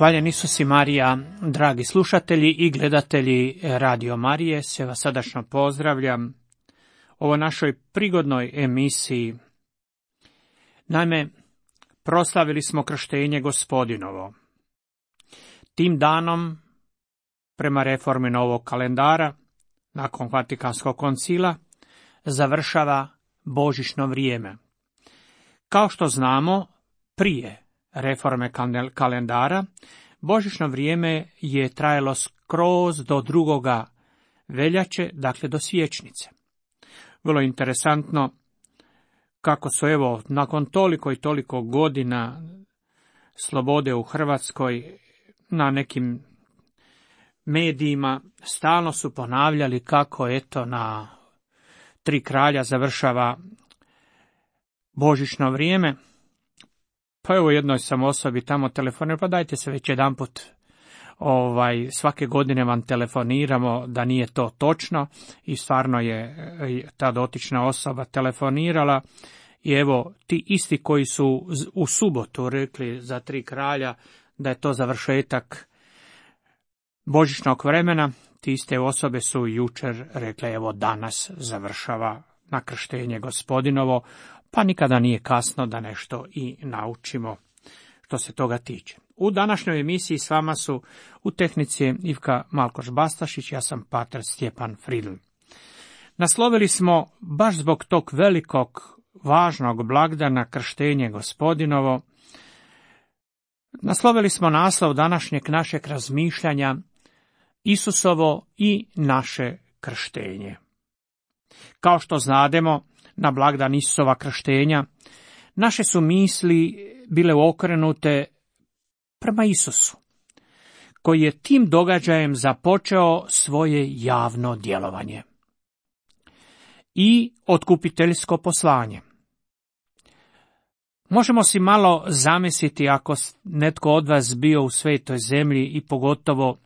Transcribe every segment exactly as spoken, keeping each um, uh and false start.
Hvaljen Isus i Marija, dragi slušatelji i gledatelji Radio Marije, sve vas srdačno pozdravljam ovo našoj prigodnoj emisiji. Naime, proslavili smo krštenje Gospodinovo. Tim danom, prema reformi novog kalendara, nakon Vatikanskog koncila, završava božićno vrijeme. Kao što znamo, prije reforme kalendara, božićno vrijeme je trajalo skroz do drugoga veljače, dakle do siječnice. Vrlo interesantno kako su, evo, nakon toliko i toliko godina slobode u Hrvatskoj, na nekim medijima stalno su ponavljali kako, eto, na Tri kralja završava božićno vrijeme. Pa evo, jednoj sam osobi tamo telefonirao, pa dajte se već jedanput, ovaj, svake godine vam telefoniramo da nije to točno, i stvarno je ta dotična osoba telefonirala. I evo, ti isti koji su u subotu rekli za Tri kralja da je to završetak božićnog vremena, ti iste osobe su jučer rekle, evo, danas završava na krštenje Gospodinovo, pa nikada nije kasno da nešto i naučimo što se toga tiče. U današnjoj emisiji s vama su u tehnici Ivka Malkoš-Bastašić, ja sam pater Stjepan Fridl. Naslovili smo, baš zbog tog velikog, važnog blagdana krštenje Gospodinovo, naslovili smo naslov današnjeg našeg razmišljanja Isusovo i naše krštenje. Kao što znademo, na blagdan Isusova krštenja naše su misli bile okrenute prema Isusu, koji je tim događajem započeo svoje javno djelovanje i otkupiteljsko poslanje. Možemo si malo zamisliti ako netko od vas bio u svetoj zemlji i pogotovo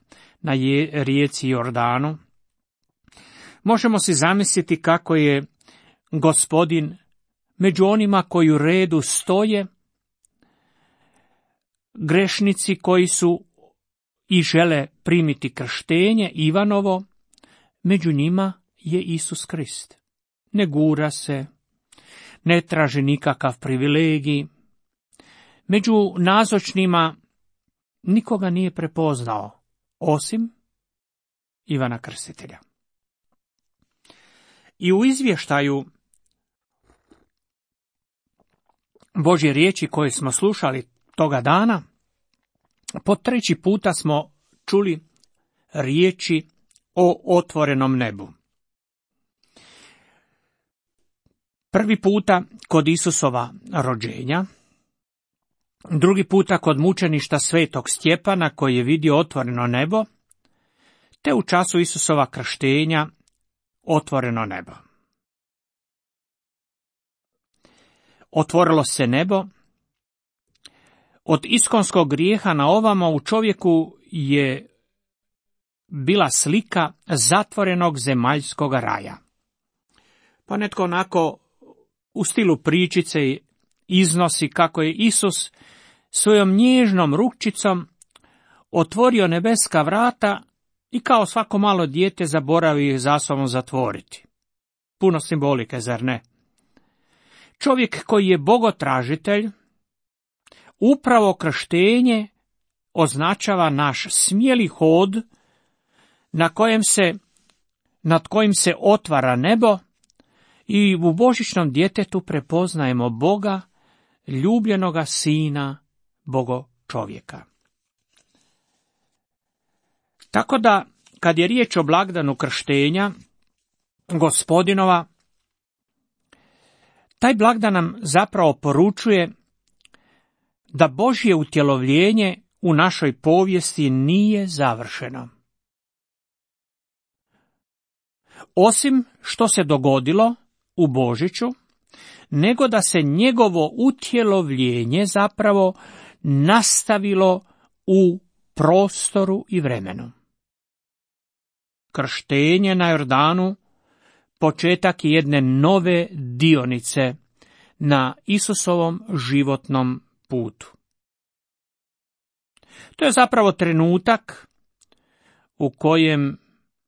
na je, rijeci Jordanu. Možemo si zamisliti kako je Gospodin među onima koji u redu stoje, grešnici koji su i žele primiti krštenje Ivanovo, među njima je Isus Krist. Ne gura se, ne traži nikakav privilegij. Među nazočnima nikoga nije prepoznao, osim Ivana Krstitelja. I u izvještaju Božje riječi koje smo slušali toga dana, po treći puta smo čuli riječi o otvorenom nebu. Prvi puta kod Isusova rođenja, drugi puta kod mučeništa svetog Stjepana koji je vidio otvoreno nebo, te u času Isusova krštenja otvoreno nebo. Otvorilo se nebo. Od iskonskog grijeha na ovamo u čovjeku je bila slika zatvorenog zemaljskog raja. Pa netko onako u stilu pričice iznosi kako je Isus svojom nježnom rukčicom otvorio nebeska vrata i kao svako malo dijete zaboravio ih za sobom zatvoriti. Puno simbolike, zar ne? Čovjek koji je bogotražitelj, upravo krštenje označava naš smjeli hod na kojem se, nad kojim se otvara nebo i u božićnom djetetu prepoznajemo Boga, ljubljenoga Sina, Bogo čovjeka. Tako da, kad je riječ o blagdanu krštenja Gospodinova, taj blagdan nam zapravo poručuje da Božje utjelovljenje u našoj povijesti nije završeno. Osim što se dogodilo u Božiću, nego da se njegovo utjelovljenje zapravo nastavilo u prostoru i vremenu. Krštenje na Jordanu početak jedne nove dionice na Isusovom životnom putu. To je zapravo trenutak u kojem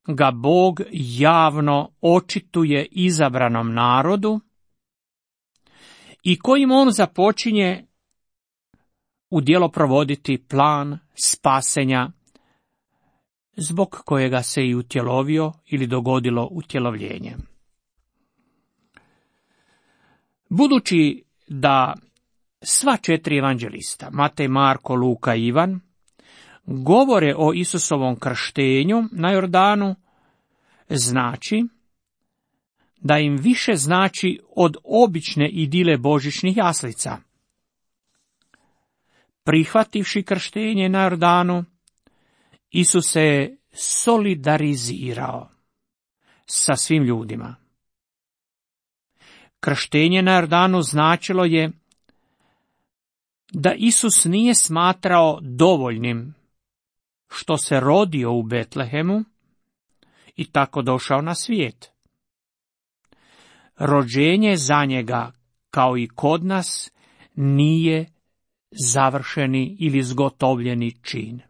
ga Bog javno očituje izabranom narodu i kojim on započinje u djelo provoditi plan spasenja zbog kojega se i utjelovio ili dogodilo utjelovljenje. Budući da sva četiri evanđelista, Matej, Marko, Luka i Ivan, govore o Isusovom krštenju na Jordanu, znači da im više znači od obične idile božićnih jaslica. Prihvativši krštenje na Jordanu, Isus se je solidarizirao sa svim ljudima. Krštenje na Jordanu značilo je da Isus nije smatrao dovoljnim što se rodio u Betlehemu i tako došao na svijet. Rođenje za njega, kao i kod nas, nije završeni ili zgotovljeni čin.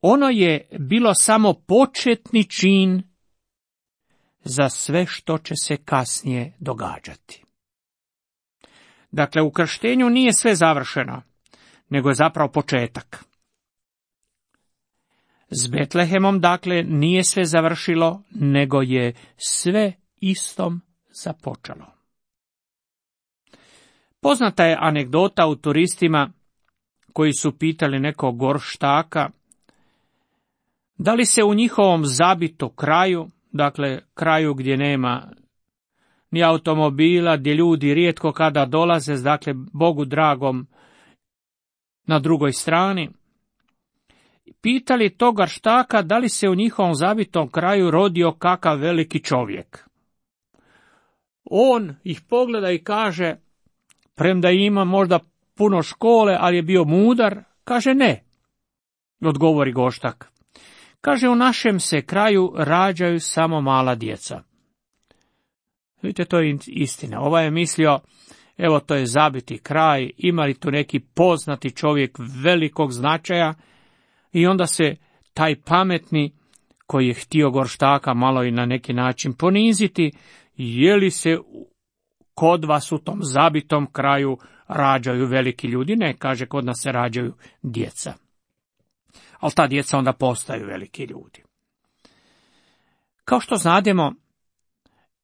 Ono je bilo samo početni čin za sve što će se kasnije događati. Dakle, u krštenju nije sve završeno, nego je zapravo početak. S Betlehemom, dakle, nije sve završilo, nego je sve istom započelo. Poznata je anegdota u turistima koji su pitali nekog gorštaka da li se u njihovom zabitu kraju, dakle kraju gdje nema ni automobila, gdje ljudi rijetko kada dolaze, dakle Bogu dragom na drugoj strani, pitali tog gorštaka da li se u njihovom zabitom kraju rodio kakav veliki čovjek. On ih pogleda i kaže, premda ima možda puno škole, ali je bio mudar, kaže ne. Odgovori goštak. Kaže, u našem se kraju rađaju samo mala djeca. Vidite, to je istina. Ovaj je mislio, evo to je zabiti kraj, ima li tu neki poznati čovjek velikog značaja, i onda se taj pametni, koji je htio gorštaka malo i na neki način poniziti, je li se kod vas u tom zabitom kraju rađaju veliki ljudi? Ne, kaže, kod nas se rađaju djeca. Ali ta djeca onda postaju veliki ljudi. Kao što znademo,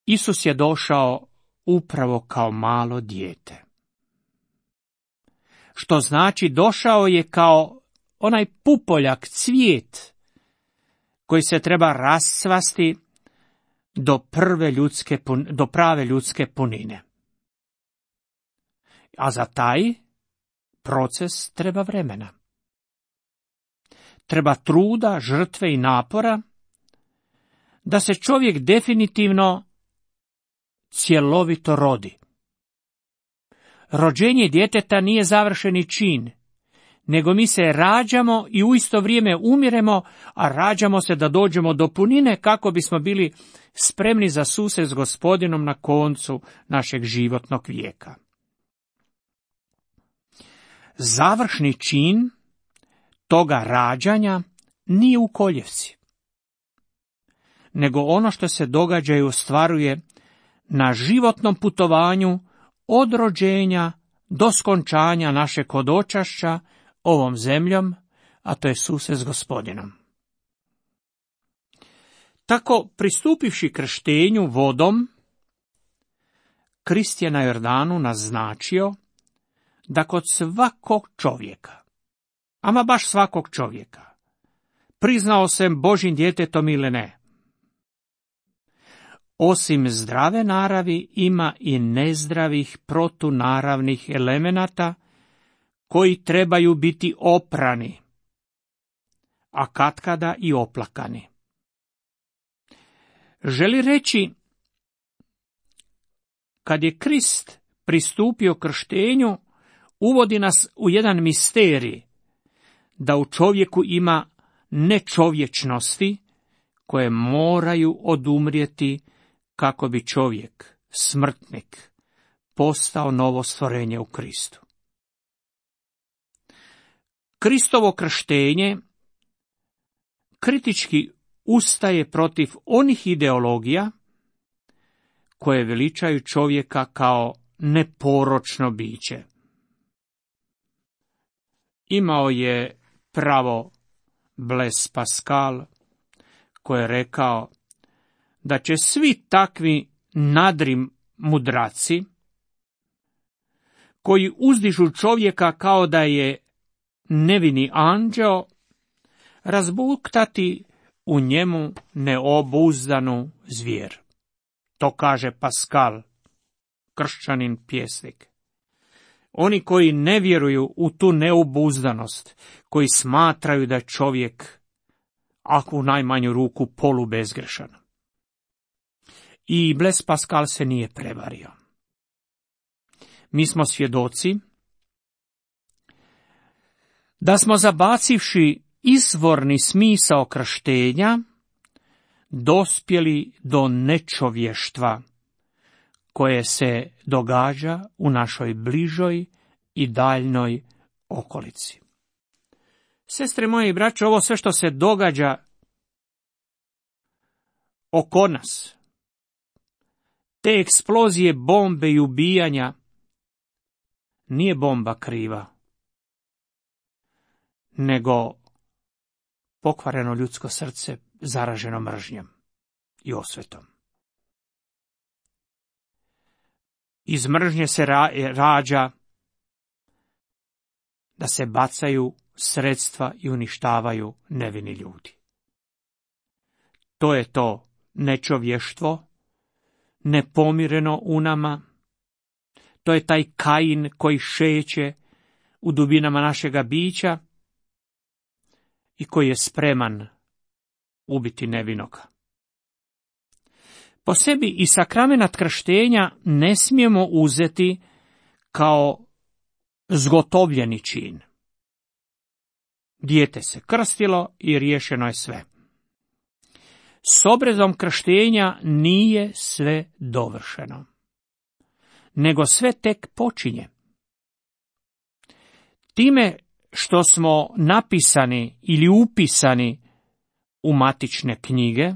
Isus je došao upravo kao malo dijete. Što znači došao je kao onaj pupoljak, cvijet, koji se treba rascvasti do prve ljudske, do prave ljudske punine. A za taj proces treba vremena. Treba truda, žrtve i napora da se čovjek definitivno cjelovito rodi. Rođenje djeteta nije završeni čin, nego mi se rađamo i u isto vrijeme umiremo, a rađamo se da dođemo do punine kako bismo bili spremni za susret s Gospodinom na koncu našeg životnog vijeka. Završni čin toga rađanja nije u koljevci, nego ono što se događa i ostvaruje na životnom putovanju od rođenja do skončanja našeg hodočašća ovom zemljom, a to je susret s Gospodinom. Tako, pristupivši krštenju vodom, Krist je na Jordanu naznačio da kod svakog čovjeka, ama baš svakog čovjeka, priznao sam Božjim djetetom ili ne, osim zdrave naravi ima i nezdravih protunaravnih elemenata koji trebaju biti oprani, a katkada i oplakani. Želi reći, kad je Krist pristupio krštenju, uvodi nas u jedan misterij, da u čovjeku ima nečovječnosti koje moraju odumrijeti kako bi čovjek, smrtnik, postao novo stvorenje u Kristu. Kristovo krštenje kritički ustaje protiv onih ideologija koje veličaju čovjeka kao neporočno biće. Imao je pravo Blaise Pascal, koji je rekao da će svi takvi nadri mudraci, koji uzdižu čovjeka kao da je nevini anđeo, razbuktati u njemu neobuzdanu zvijer. To kaže Pascal, kršćanin pjesnik. Oni koji ne vjeruju u tu neobuzdanost, koji smatraju da je čovjek, ako u najmanju ruku, polubezgrešan. I Blaise Pascal se nije prevario. Mi smo svjedoci da smo, zabacivši izvorni smisao krštenja, dospjeli do nečovještva koje se događa u našoj bližoj i daljnoj okolici. Sestre moje i braće, ovo sve što se događa oko nas, te eksplozije bombe i ubijanja, nije bomba kriva, nego pokvareno ljudsko srce zaraženo mržnjom i osvetom. Iz mržnje se ra- rađa da se bacaju sredstva i uništavaju nevini ljudi. To je to nečovještvo, nepomireno u nama. To je taj Kain koji šeće u dubinama našega bića i koji je spreman ubiti nevinoga. Po sebi i sakramenat krštenja ne smijemo uzeti kao zgotovljeni čin. Dijete se krstilo i riješeno je sve. S obredom krštenja nije sve dovršeno, nego sve tek počinje. Time što smo napisani ili upisani u matične knjige,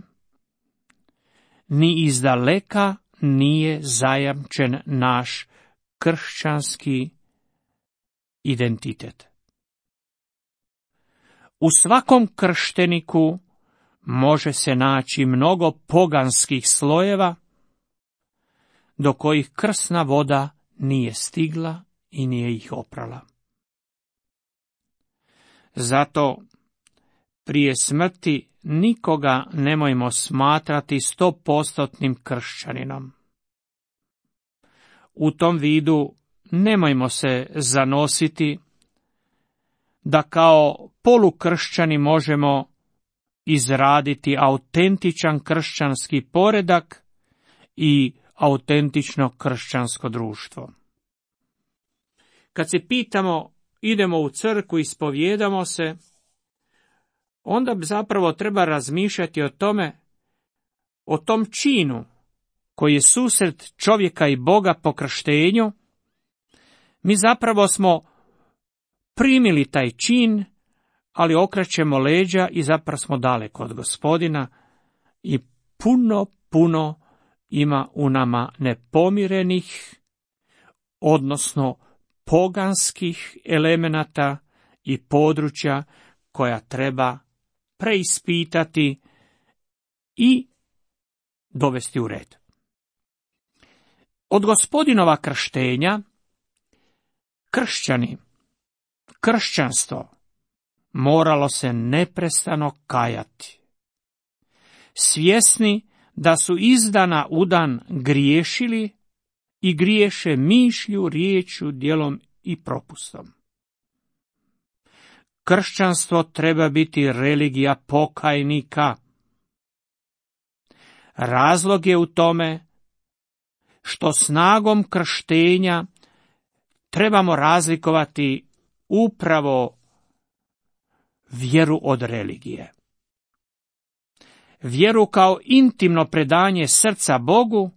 ni izdaleka nije zajamčen naš kršćanski identitet. U svakom kršteniku može se naći mnogo poganskih slojeva do kojih krsna voda nije stigla i nije ih oprala. Zato prije smrti nikoga nemojmo smatrati stopostotnim kršćaninom. U tom vidu nemojmo se zanositi da kao polukršćani možemo izraditi autentičan kršćanski poredak i autentično kršćansko društvo. Kad se pitamo, idemo u crkvu, ispovijedamo se, onda zapravo treba razmišljati o tome, o tom činu koji je susret čovjeka i Boga po krštenju. Mi zapravo smo primili taj čin, ali okrećemo leđa i zapravo smo daleko od Gospodina i puno, puno ima u nama nepomirenih, odnosno poganskih elemenata i područja koja treba preispitati i dovesti u red. Od Gospodinova krštenja kršćani, kršćanstvo moralo se neprestano kajati, svjesni da su iz dana u dan griješili i griješe mišlju, riječju, djelom i propustom. Kršćanstvo treba biti religija pokajnika. Razlog je u tome što snagom krštenja trebamo razlikovati upravo vjeru od religije. Vjeru kao intimno predanje srca Bogu,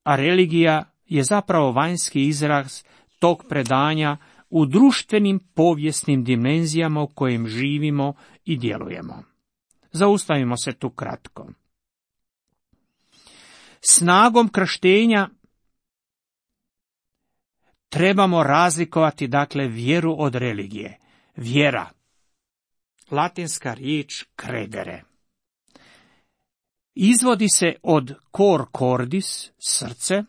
a religija je zapravo vanjski izraz tog predanja u društvenim povijesnim dimenzijama u kojim živimo i djelujemo. Zaustavimo se tu kratko. Snagom krštenja trebamo razlikovati, dakle, vjeru od religije. Vjera, latinska riječ credere, izvodi se od cor cordis, srce,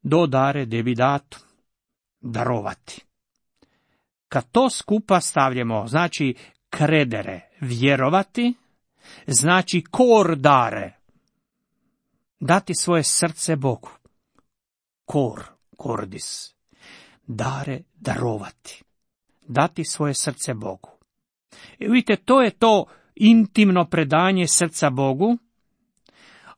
do dare debidatum, darovati. Kad to skupa stavljamo, znači credere, vjerovati, znači cor dare, dati svoje srce Bogu. Cor cordis, dare, darovati, dati svoje srce Bogu. I vidite, to je to intimno predanje srca Bogu,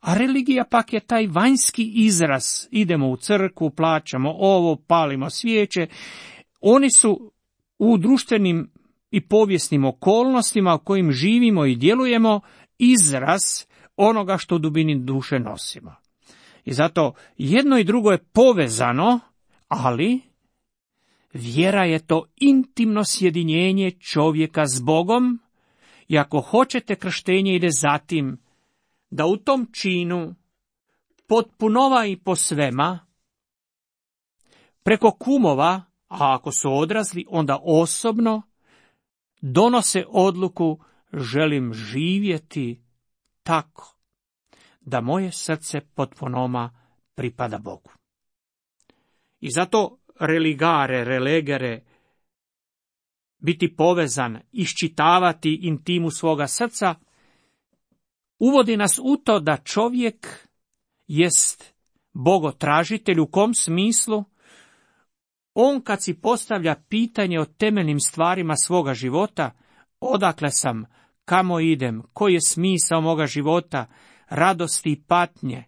a religija pak je taj vanjski izraz. Idemo u crkvu, plaćamo ovo, palimo svijeće. Oni su u društvenim i povijesnim okolnostima u kojim živimo i djelujemo izraz onoga što u dubini duše nosimo. I zato jedno i drugo je povezano, ali vjera je to intimno sjedinjenje čovjeka s Bogom, i ako hoćete, krštenje ide zatim da u tom činu potpunova i posvema, preko kumova, a ako su odrasli, onda osobno donose odluku: želim živjeti tako da moje srce potpunoma pripada Bogu. I zato religare, relegere, biti povezan, iščitavati intimu svoga srca, uvodi nas u to da čovjek jest bogotražitelj. U kom smislu? On kad si postavlja pitanje o temeljnim stvarima svoga života, odakle sam, kamo idem, koji je smisao moga života, radosti i patnje,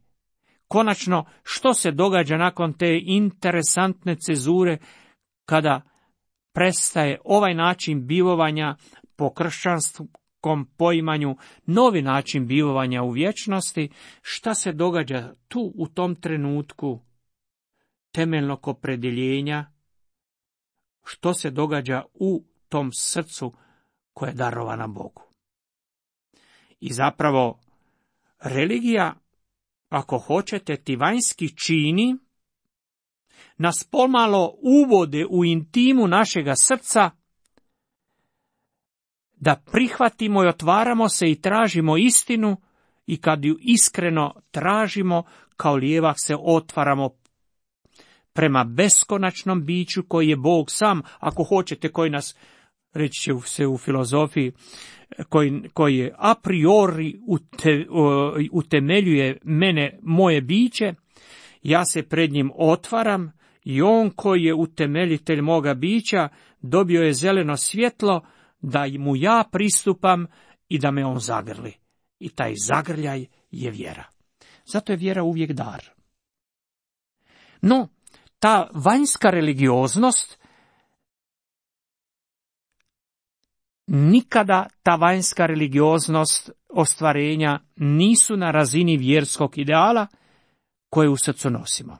konačno što se događa nakon te interesantne cezure kada prestaje ovaj način bivovanja po kršćanskom poimanju, novi način bivovanja u vječnosti, šta se događa tu u tom trenutku temeljnog opredjeljenja, što se događa u tom srcu koje je darovano Bogu. I zapravo religija, ako hoćete, ti vanjski čini nas pomalo uvode u intimu našega srca, da prihvatimo i otvaramo se i tražimo istinu, i kad ju iskreno tražimo, kao lijevak se otvaramo prema beskonačnom biću koji je Bog sam, ako hoćete, koji nas, reći će se u filozofiji, koji, koji je a priori ute, utemeljuje mene, moje biće. Ja se pred njim otvaram i on koji je utemeljitelj moga bića dobio je zeleno svjetlo da mu ja pristupam i da me on zagrli. I taj zagrljaj je vjera. Zato je vjera uvijek dar. No, ta vanjska religioznost, nikada ta vanjska religioznost ostvarenja nisu na razini vjerskog ideala koje u srcu nosimo.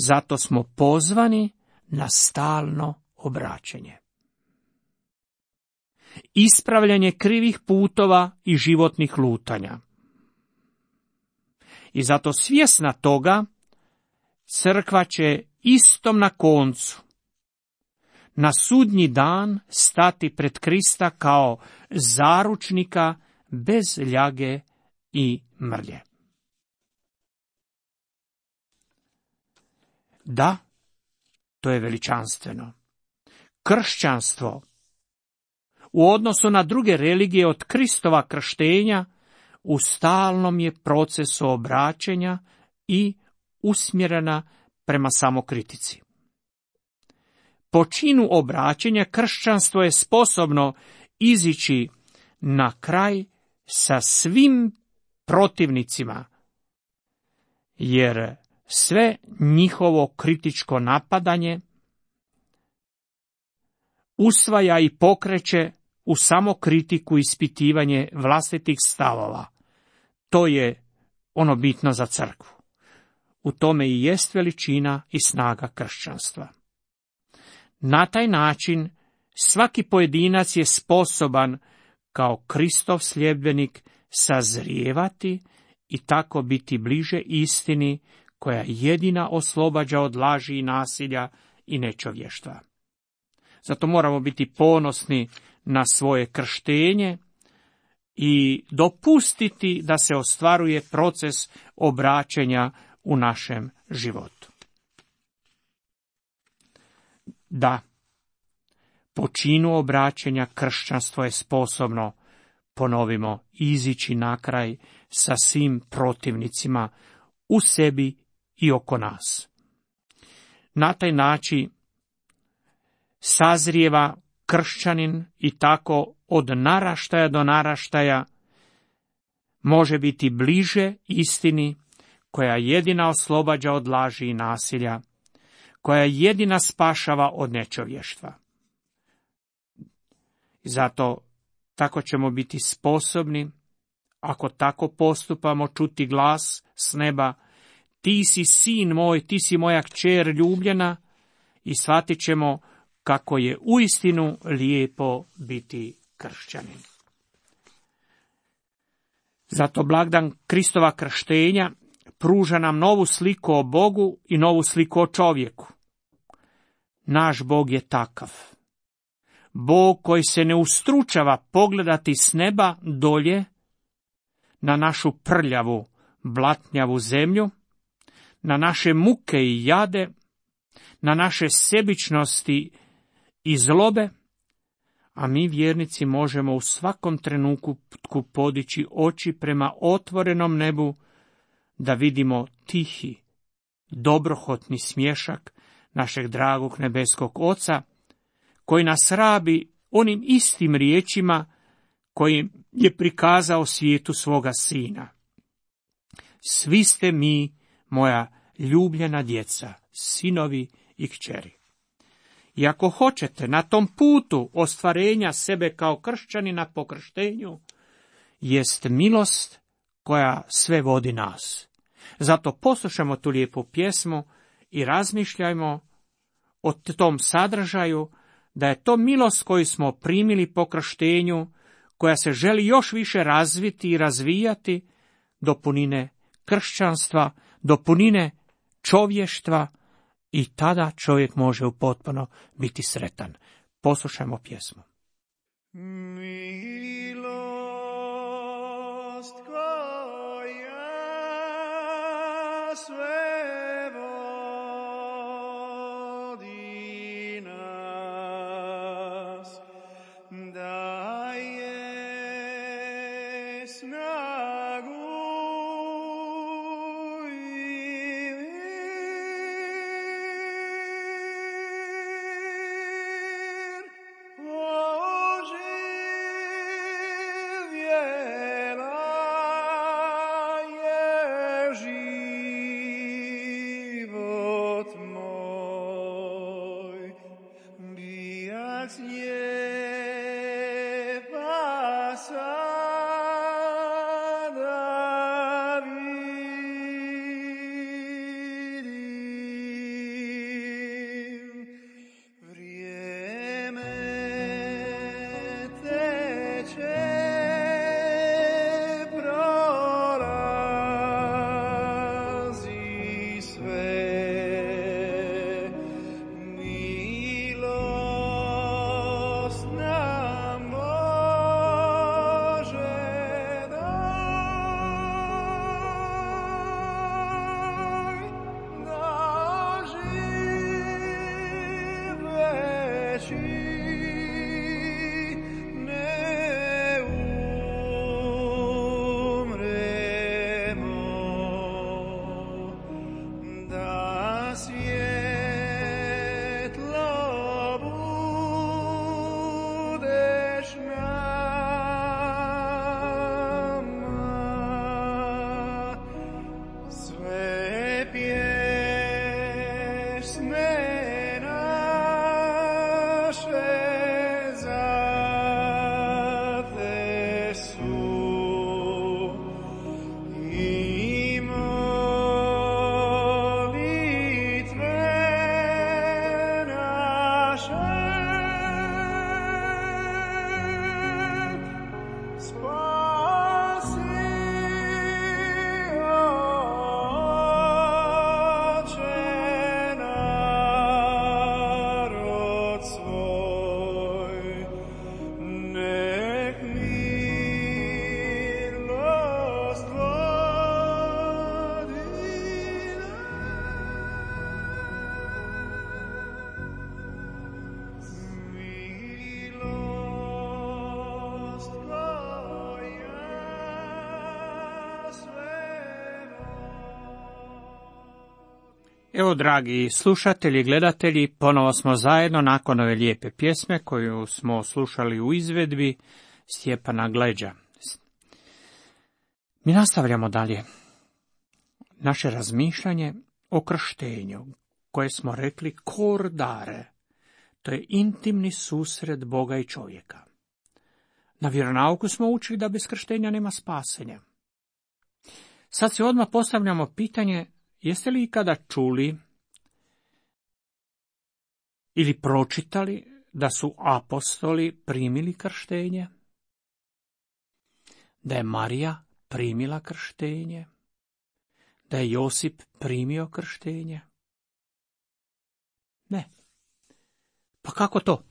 Zato smo pozvani na stalno obraćanje. Ispravljanje krivih putova i životnih lutanja. I zato svjesna toga, crkva će istom na koncu, na sudnji dan, stati pred Krista kao zaručnika bez ljage i mrlje. Da, to je veličanstveno. Kršćanstvo u odnosu na druge religije od Kristova krštenja u stalnom je procesu obraćanja i usmjerena prema samokritici. Po činu obraćanja kršćanstvo je sposobno izići na kraj sa svim protivnicima, jer sve njihovo kritičko napadanje usvaja i pokreće u samokritiku i ispitivanje vlastitih stavova. To je ono bitno za crkvu. U tome i jest veličina i snaga kršćanstva. Na taj način svaki pojedinac je sposoban kao Kristov sljedbenik sazrijevati i tako biti bliže istini koja jedina oslobađa od laži i nasilja i nečovještva. Zato moramo biti ponosni na svoje krštenje i dopustiti da se ostvaruje proces obraćanja u našem životu. Da, po činu obraćanja kršćanstvo je sposobno, ponovimo, izići na kraj sa svim protivnicima u sebi i oko nas. Na taj način sazrijeva kršćanin i tako od naraštaja do naraštaja može biti bliže istini koja jedina oslobađa od laži i nasilja, koja jedina spašava od nečovještva. Zato tako ćemo biti sposobni, ako tako postupamo, čuti glas s neba: ti si sin moj, ti si moja kćer ljubljena, i shvatit ćemo kako je uistinu lijepo biti kršćanin. Zato blagdan Kristova krštenja pruža nam novu sliku o Bogu i novu sliku o čovjeku. Naš Bog je takav. Bog koji se ne ustručava pogledati s neba dolje na našu prljavu, blatnjavu zemlju, na naše muke i jade, na naše sebičnosti i zlobe, a mi vjernici možemo u svakom trenutku podići oči prema otvorenom nebu da vidimo tihi, dobrohotni smješak našeg dragog nebeskog Oca, koji nas rabi onim istim riječima kojim je prikazao svijetu svoga Sina. Svi ste mi, moja ljubljena djeca, sinovi i kćeri. I ako hoćete na tom putu ostvarenja sebe kao kršćanina po krštenju, jest milost koja sve vodi nas. Zato poslušajmo tu lijepu pjesmu i razmišljajmo o tom sadržaju, da je to milost koju smo primili po krštenju, koja se želi još više razviti i razvijati do punine kršćanstva, do punine čovještva, i tada čovjek može upotpuno biti sretan. Poslušajmo pjesmu. Milost koja sve vodi nas, daje snagu i Evo, dragi slušatelji i gledatelji, ponovo smo zajedno nakon ove lijepe pjesme koju smo slušali u izvedbi Stjepana Gleđa. Mi nastavljamo dalje naše razmišljanje o krštenju, koje smo rekli kordare. To je intimni susret Boga i čovjeka. Na vjeronauku smo učili da bez krštenja nema spasenja. Sad se odmah postavljamo pitanje, jeste li ikada čuli ili pročitali da su apostoli primili krštenje? Da je Marija primila krštenje? Da je Josip primio krštenje? Ne. Pa kako to?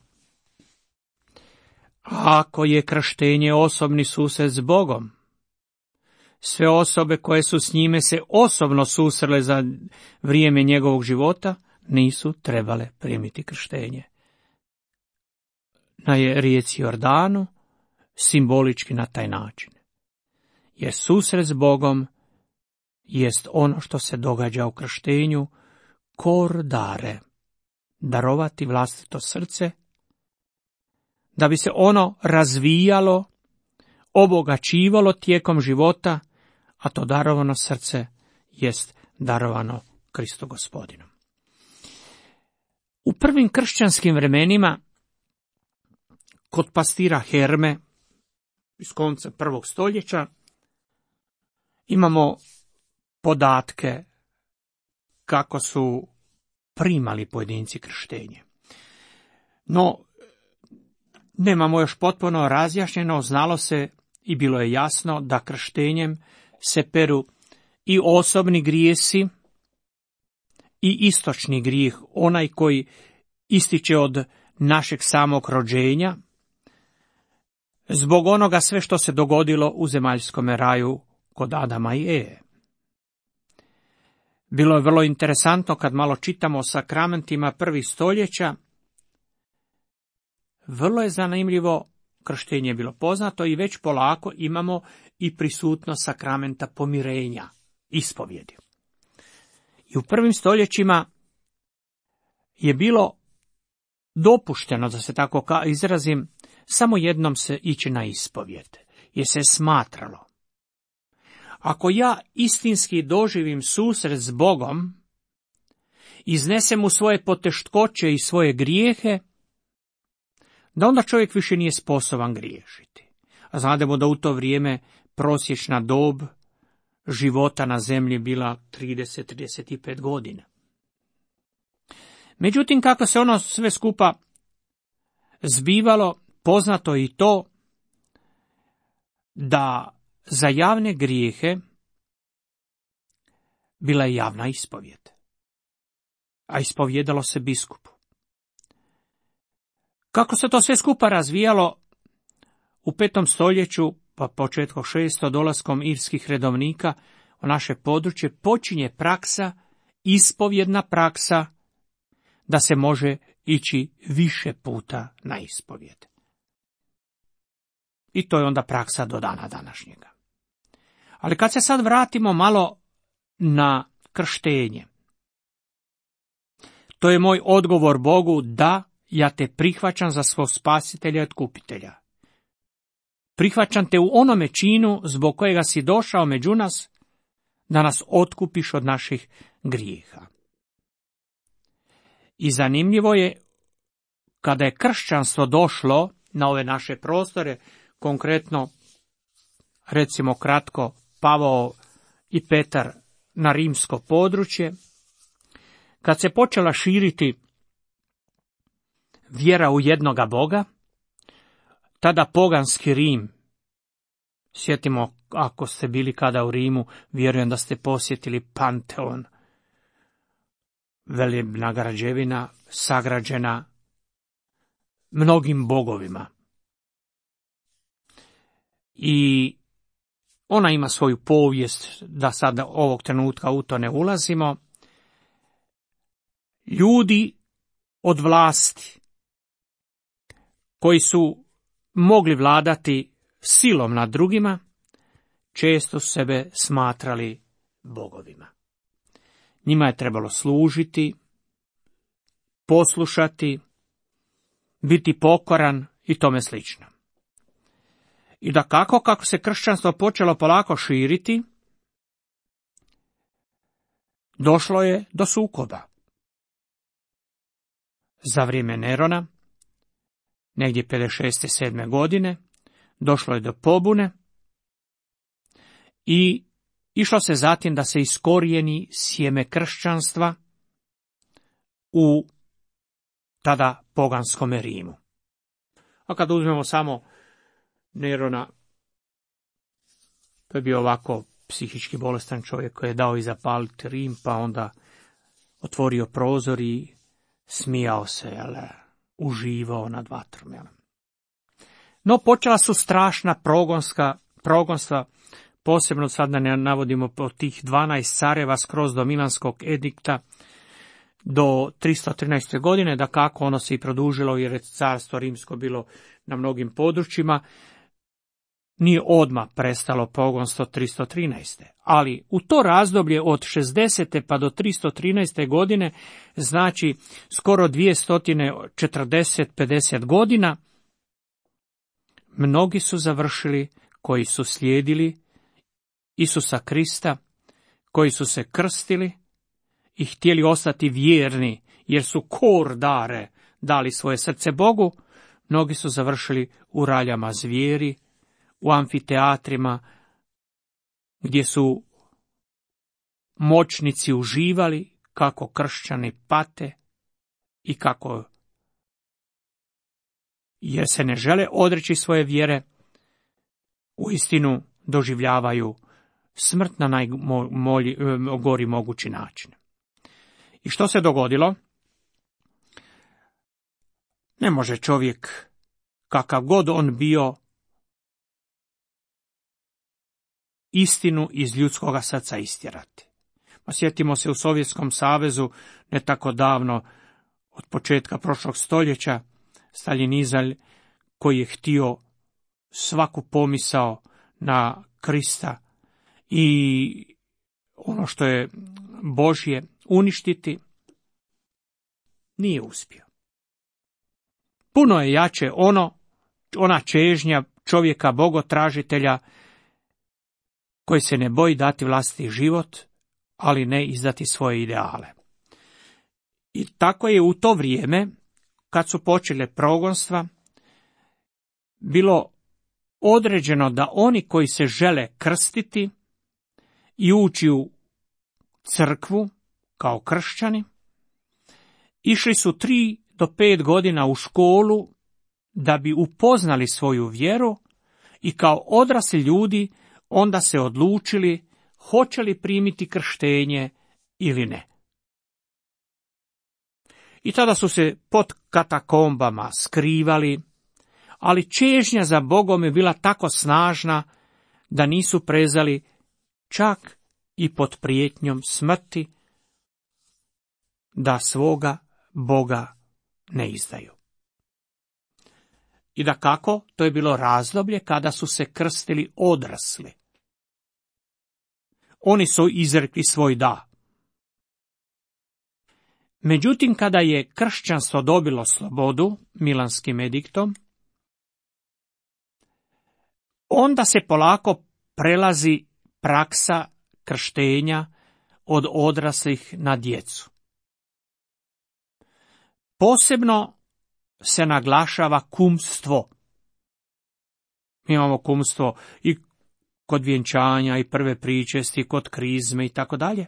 Ako je krštenje osobni susret s Bogom, sve osobe koje su s njime se osobno susrele za vrijeme njegovog života nisu trebale primiti krštenje. Na rijeci Jordanu, simbolički na taj način. Jer susret s Bogom jest ono što se događa u krštenju, kordare, darovati vlastito srce, da bi se ono razvijalo, obogaćivalo tijekom života, a to darovano srce jest darovano Kristu Gospodinu. U prvim kršćanskim vremenima, kod pastira Herme, iz konca prvog stoljeća, imamo podatke kako su primali pojedinci krštenje. No, nemamo još potpuno razjašnjeno, znalo se i bilo je jasno da krštenjem se peru i osobni grijesi i istočni grijeh, onaj koji ističe od našeg samog rođenja, zbog onoga sve što se dogodilo u zemaljskom raju kod Adama i Eve. Bilo je vrlo interesantno kad malo čitamo o sakramentima prvih stoljeća. Vrlo je zanimljivo, krštenje je bilo poznato i već polako imamo i prisutnost sakramenta pomirenja, ispovjedi. I u prvim stoljećima je bilo dopušteno, da se tako izrazim, samo jednom se ići na ispovjed, jer se smatralo, ako ja istinski doživim susret s Bogom, iznesem mu svoje poteškoće i svoje grijehe, da onda čovjek više nije sposoban griješiti. A znademo da u to vrijeme prosječna dob života na zemlji bila trideset do trideset pet godina. Međutim, kako se ono sve skupa zbivalo, poznato je i to da za javne grijehe bila je javna ispovjed, a ispovjedalo se biskupu. Kako se to sve skupa razvijalo u petom stoljeću, pa početkom šestog dolaskom irskih redovnika u naše područje, počinje praksa, ispovjedna praksa, da se može ići više puta na ispovjed. I to je onda praksa do dana današnjega. Ali kad se sad vratimo malo na krštenje, to je moj odgovor Bogu, da, ja te prihvaćam za svog spasitelja i otkupitelja. Prihvaćam te u onome činu zbog kojega si došao među nas, da nas otkupiš od naših grijeha. I zanimljivo je, kada je kršćanstvo došlo na ove naše prostore, konkretno, recimo kratko, Pavao i Petar na rimsko područje, kad se počela širiti vjera u jednoga Boga, tada poganski Rim, sjetimo, ako ste bili kada u Rimu, vjerujem da ste posjetili Panteon, velebna građevina sagrađena mnogim bogovima. I ona ima svoju povijest, da sad ovog trenutka u to ne ulazimo. Ljudi od vlasti, koji su mogli vladati silom nad drugima, često su sebe smatrali bogovima. Njima je trebalo služiti, poslušati, biti pokoran i tome slično. I da kako, kako se kršćanstvo počelo polako širiti, došlo je do sukoba. Za vrijeme Nerona, negdje pedeset šeste sedme godine, došlo je do pobune i išlo se zatim da se iskorijeni sjeme kršćanstva u tada poganskome Rimu. A kad uzmemo samo Nerona, to je bio ovako psihički bolestan čovjek koji je dao i zapaliti Rim, pa onda otvorio prozor i smijao se, jel, uživao nad vatrom. Jel. No počela su strašna progonska, progonstva, posebno sad da ne navodimo po tih dvanaest careva skroz do Milanskog edikta do tristo trinaeste. godine, da kako ono se i produžilo jer je carstvo rimsko bilo na mnogim područjima. Nije odmah prestalo pogonstvo tristo trinaeste. Ali u to razdoblje od šezdesete pa do tristo trinaeste. godine, znači skoro dvjesto četrdeset do pedeset godina, mnogi su završili koji su slijedili Isusa Krista, koji su se krstili i htjeli ostati vjerni, jer su kor dare dali svoje srce Bogu. Mnogi su završili u raljama zvijeri, u amfiteatrima, gdje su moćnici uživali kako kršćani pate i kako, jer se ne žele odreći svoje vjere, uistinu doživljavaju smrt na najgori mogući način. I što se dogodilo? Ne može čovjek, kakav god on bio, istinu iz ljudskoga srca istjerati. Pa sjetimo se u Sovjetskom savezu, ne tako davno, od početka prošlog stoljeća, Staljinizam koji je htio svaku pomisao na Krista i ono što je Božje uništiti, nije uspio. Puno je jače ono, ona čežnja čovjeka bogotražitelja koji se ne boji dati vlastiti život, ali ne izdati svoje ideale. I tako je u to vrijeme, kad su počele progonstva, bilo određeno da oni koji se žele krstiti i ući u crkvu kao kršćani, išli su tri do pet godina u školu da bi upoznali svoju vjeru i kao odrasli ljudi onda se odlučili hoće li primiti krštenje ili ne. I tada su se pod katakombama skrivali, ali čežnja za Bogom je bila tako snažna da nisu prezali čak i pod prijetnjom smrti da svoga Boga ne izdaju. I da kako, to je bilo razdoblje kada su se krstili odrasli. Oni su izrekli svoj da. Međutim, kada je kršćanstvo dobilo slobodu Milanskim ediktom, onda se polako prelazi praksa krštenja od odraslih na djecu. Posebno se naglašava kumstvo. Mi imamo kumstvo i kod vjenčanja i prve pričesti, kod krizme i tako dalje.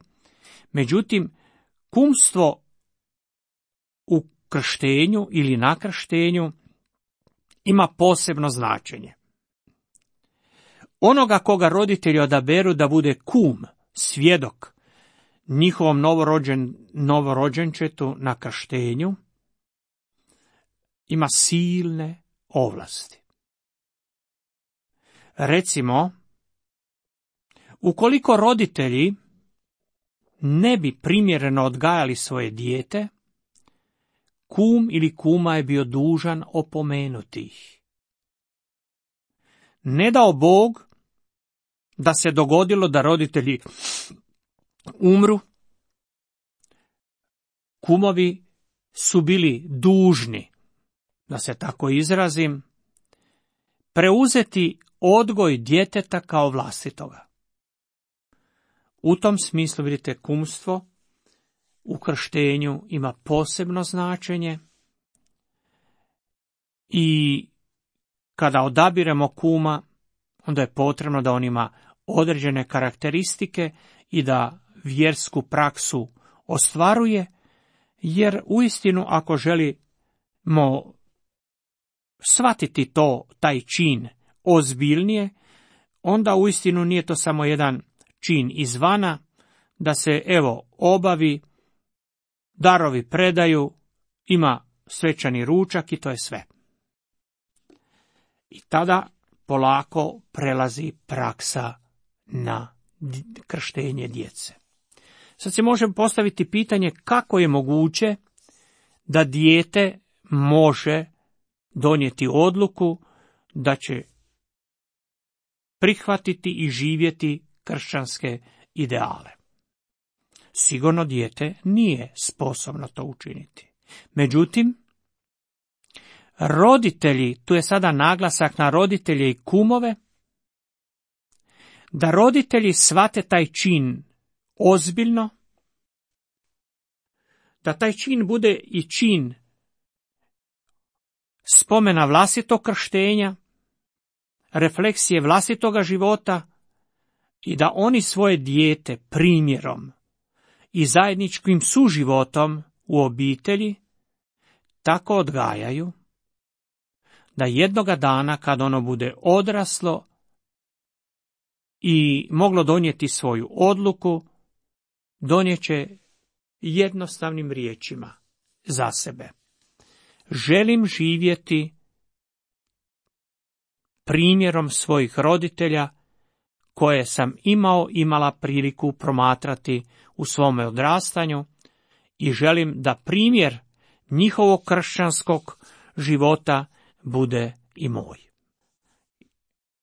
Međutim, kumstvo u krštenju ili na krštenju ima posebno značenje. Onoga koga roditelji odaberu da bude kum, svjedok, njihovom novorođen, novorođenčetu na krštenju, ima silne ovlasti. Recimo, ukoliko roditelji ne bi primjereno odgajali svoje dijete, kum ili kuma je bio dužan opomenuti ih. Ne dao Bog da se dogodilo da roditelji umru kumovi su bili dužni, da se tako izrazim, preuzeti odgoj djeteta kao vlastitoga. U tom smislu, vidite, kumstvo u krštenju ima posebno značenje i kada odabiremo kuma, onda je potrebno da on ima određene karakteristike i da vjersku praksu ostvaruje, jer uistinu ako želimo shvatiti to, taj čin ozbiljnije, onda uistinu nije to samo jedan čin izvana, da se evo obavi, darovi predaju, ima svečani ručak i to je sve. I tada polako prelazi praksa na krštenje djece. Sad se može postaviti pitanje kako je moguće da dijete može donijeti odluku da će prihvatiti i živjeti kršćanske ideale. Sigurno dijete nije sposobno to učiniti. Međutim, roditelji, tu je sada naglasak na roditelje i kumove, da roditelji shvate taj čin ozbiljno, da taj čin bude i čin spomena vlastitog krštenja, refleksije vlastitoga života i da oni svoje dijete primjerom i zajedničkim suživotom u obitelji tako odgajaju da jednoga dana kad ono bude odraslo i moglo donijeti svoju odluku, donijeće jednostavnim riječima za sebe. Želim živjeti primjerom svojih roditelja koje sam imao, imala priliku promatrati u svome odrastanju i želim da primjer njihovog kršćanskog života bude i moj.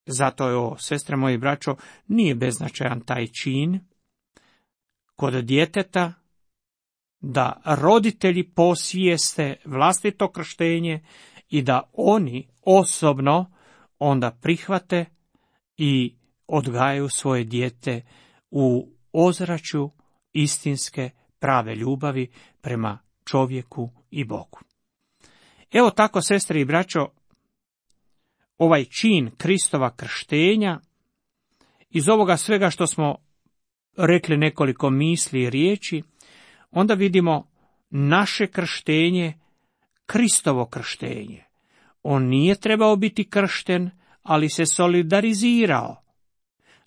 Zato je ovo, sestre moje i braćo, nije beznačajan taj čin kod djeteta da roditelji posvijeste vlastito krštenje i da oni osobno onda prihvate i odgajaju svoje dijete u ozračju istinske prave ljubavi prema čovjeku i Bogu. Evo tako, sestre i braćo, ovaj čin Kristova krštenja, iz ovoga svega što smo rekli nekoliko misli i riječi, onda vidimo naše krštenje, Kristovo krštenje. On nije trebao biti kršten, ali se solidarizirao,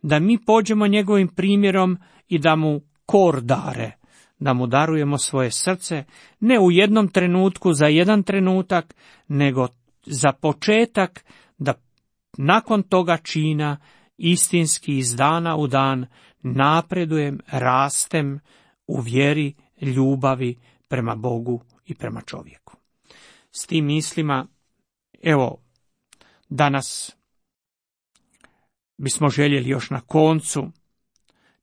da mi pođemo njegovim primjerom i da mu kor dare, da mu darujemo svoje srce, ne u jednom trenutku, za jedan trenutak, nego za početak, da nakon toga čina istinski iz dana u dan napredujem, rastem u vjeri, ljubavi prema Bogu i prema čovjeku. S tim mislima, evo, danas bismo željeli još na koncu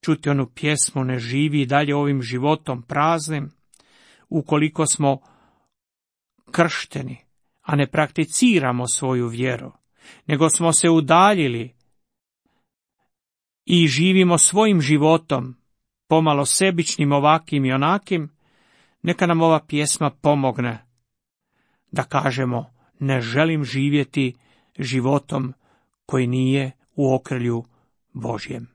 čuti onu pjesmu Ne živi dalje ovim životom praznim, ukoliko smo kršteni, a ne prakticiramo svoju vjeru, nego smo se udaljili i živimo svojim životom, pomalo sebičnim ovakim i onakim, neka nam ova pjesma pomogne da kažemo ne želim živjeti životom koji nije u okrilju Božjem.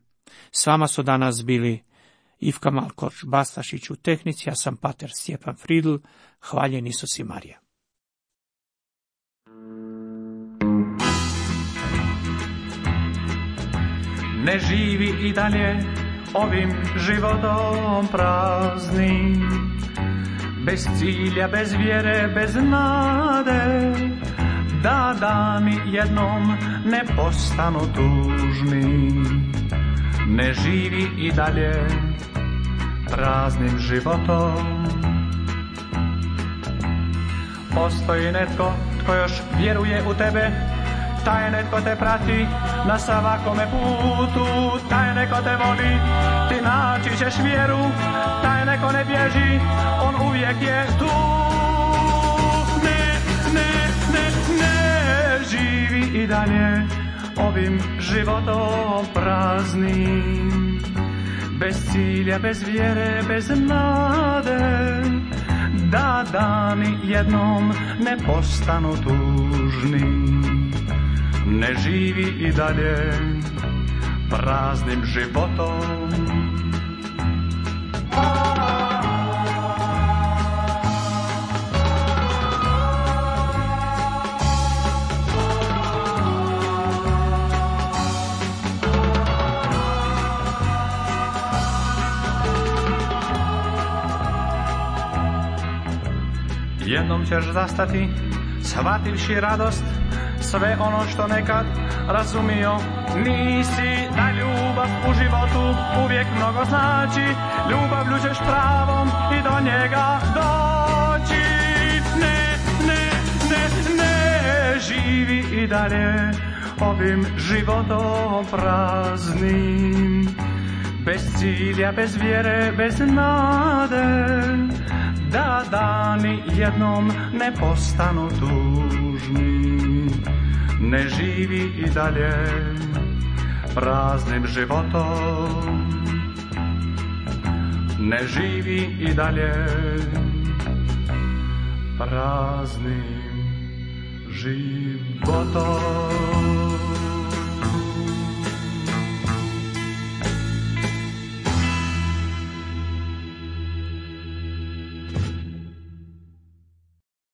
S vama su danas bili Ivka Malkoč Bastašić u tehnici, ja sam pater Stjepan Fridl, hvaljen Isus i Marija. Ne živi i dalje ovim životom praznim, bez cilja, bez vjere, bez nade, da dani jednom ne postanu tužni. Ne živi i dalje praznim životom. Postoji netko tko još vjeruje u tebe, taj netko te prati na svakome putu, taj netko te voli, ti naći ćeš vjeru, taj neko ne bježi, on uvijek je tu. Ne, ne, ne, ne živi i dalje ovim životom praznim, bez cilja, bez vjere, bez nade, da dani jednom ne postanu tužni. Ne živi i dalje praznim životom. Jednom ćeš zastati, shvativši radost, sve ono što nekad razumio nisi, da ljubav u životu uvijek mnogo znači, ljubavlju ćeš pravom i do njega doći. Ne, ne, ne, ne živi i dalje ovim životom praznim, bez cilja, bez vjere, bez nade, da dani jednom ne postanu tužni. Ne živi i dalje praznim životom. Ne živi i dalje praznim životom.